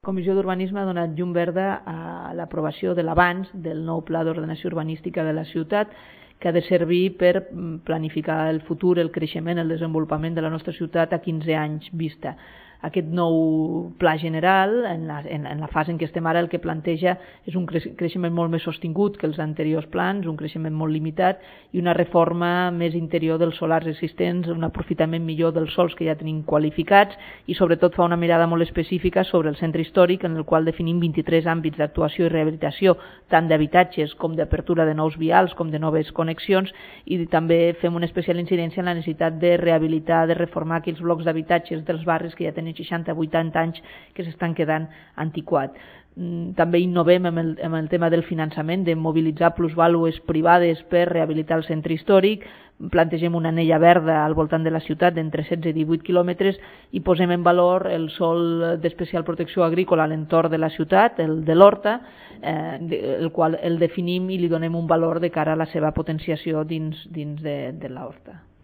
La Comissió d'Urbanisme ha donat llum verda a l'aprovació de l'avanç del nou Pla d'Ordenació Urbanística de la ciutat, que ha de servir per planificar el futur, el creixement, el desenvolupament de la nostra ciutat a 15 anys vista. Aquest nou pla general, en la fase en què estem ara, el que planteja és un creixement molt més sostingut que els anteriors plans, un creixement molt limitat i una reforma més interior dels solars existents, un aprofitament millor dels sols que ja tenim qualificats i sobretot fa una mirada molt específica sobre el centre històric, en el qual definim 23 àmbits d'actuació i rehabilitació, tant d'habitatges com d'apertura de nous vials com de noves connexions, i també fem una especial incidència en la necessitat de rehabilitar, de reformar aquells blocs d'habitatges dels barris que ja tenen 60-80 anys que s'estan quedant antiquats. També innovem amb el tema del finançament, de mobilitzar plusvàlues privades per rehabilitar el centre històric, plantegem una anella verda al voltant de la ciutat d'entre 16 i 18 quilòmetres i posem en valor el sòl d'especial protecció agrícola a l'entorn de la ciutat, el de l'Horta, el qual el definim i li donem un valor de cara a la seva potenciació dins de l'Horta.